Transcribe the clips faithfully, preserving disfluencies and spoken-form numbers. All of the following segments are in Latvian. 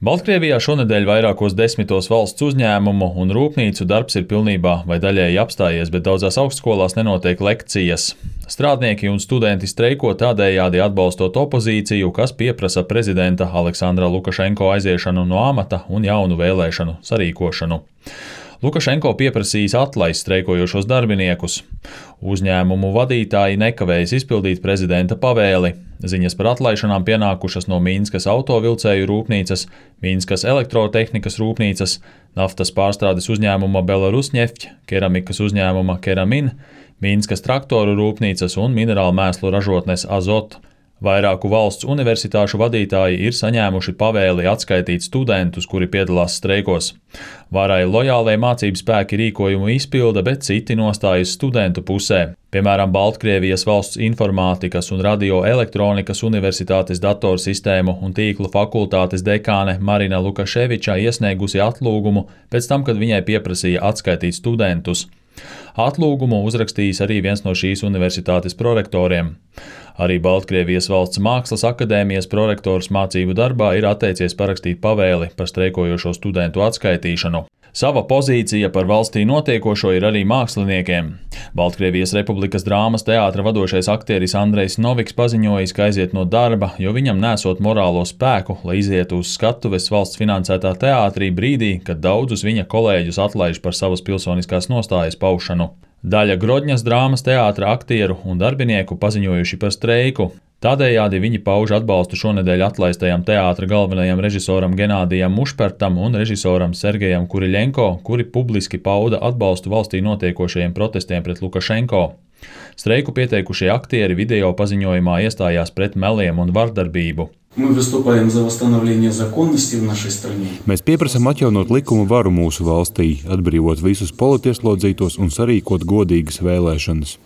Baltkrievijā šonedēļ vairākos desmitos valsts uzņēmumu un rūpnīcu darbs ir pilnībā vai daļēji apstājies, bet daudzās augstskolās nenotiek lekcijas. Strādnieki un studenti streiko tādējādi atbalstot opozīciju, kas pieprasa prezidenta Aleksandra Lukašenko aiziešanu no amata un jaunu vēlēšanu sarīkošanu. Lukašenko pieprasījis atlaist streikojošos darbiniekus. Uzņēmumu vadītāji nekavējas izpildīt prezidenta pavēli. Ziņas par atlaišanām pienākušas no Minskas autovilcēju rūpnīcas, Minskas elektrotehnikas rūpnīcas, naftas pārstrādes uzņēmuma Belarusneft, keramikas uzņēmuma Keramin, Minskas traktoru rūpnīcas un minerālu mēslu ražotnes Azot. Vairāku valsts universitāšu vadītāji ir saņēmuši pavēli atskaitīt studentus, kuri piedalās streikos. Varai lojālie mācību spēki rīkojumu izpilda, bet citi nostājas studentu pusē. Piemēram, Baltkrievijas valsts informātikas un radioelektronikas universitātes datorsistēmu un tīklu fakultātes dekāne Marina Lukaševiča iesniegusi atlūgumu pēc tam, kad viņai pieprasīja atskaitīt studentus. Atlūgumu uzrakstījis arī viens no šīs universitātes prorektoriem. Arī Baltkrievijas valsts mākslas akadēmijas prorektors mācību darbā ir atteicies parakstīt pavēli par streikojošo studentu atskaitīšanu. Sava pozīcija par valstī notiekošo ir arī māksliniekiem. Baltkrievijas Republikas drāmas teātra vadošais aktieris Andrejs Noviks paziņojis, ka aiziet no darba, jo viņam nesot morālo spēku, lai izietu uz skatuves valsts finansētā teātrī brīdī, kad daudzus viņa kolēģus atlaiž par savas pilsoniskās nostājas paušanu. Daļa Grodņas drāmas teātra aktieru un darbinieku paziņojuši par streiku. Tādējādi viņi pauž atbalstu šonedēļ atlaistajam teātra galvenajam režisoram Genādijam Mušpertam un režisoram Sergejam Kuriļenko, kuri publiski pauda atbalstu valstī notiekošajiem protestiem pret Lukašenko. Streiku pieteikušie aktieri video paziņojumā iestājās pret meliem un vardarbību. Mēs pieprasam atjaunot likuma varu mūsu valstī, atbrīvot visus politieslodzītos un sarīkot godīgas vēlēšanas.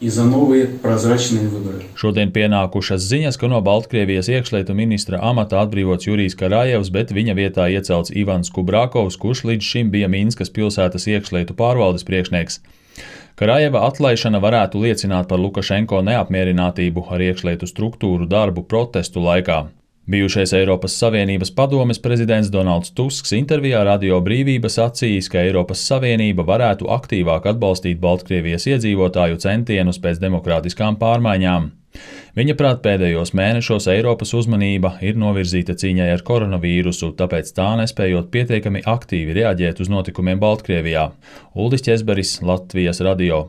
Šodien pienākušas ziņas, ka no Baltkrievijas iekšlietu ministra amata atbrīvots Jurijs Karājevs, bet viņa vietā iecelts Ivans Kubrakovs, kurš līdz šim bija Minskas pilsētas iekšlietu pārvaldes priekšnieks. Karājeva atlaišana varētu liecināt par Lukašenko neapmierinātību ar iekšlietu struktūru darbu protestu laikā. Bijušais Eiropas Savienības padomes prezidents Donalds Tusks intervijā Radio Brīvība sacījis, ka Eiropas Savienība varētu aktīvāk atbalstīt Baltkrievijas iedzīvotāju centienus pēc demokrātiskām pārmaiņām. Viņa prāt pēdējos mēnešos Eiropas uzmanība ir novirzīta cīņai ar koronavīrusu, tāpēc tā nespējot pietiekami aktīvi reaģēt uz notikumiem Baltkrievijā. Uldis Ķezberis, Latvijas radio.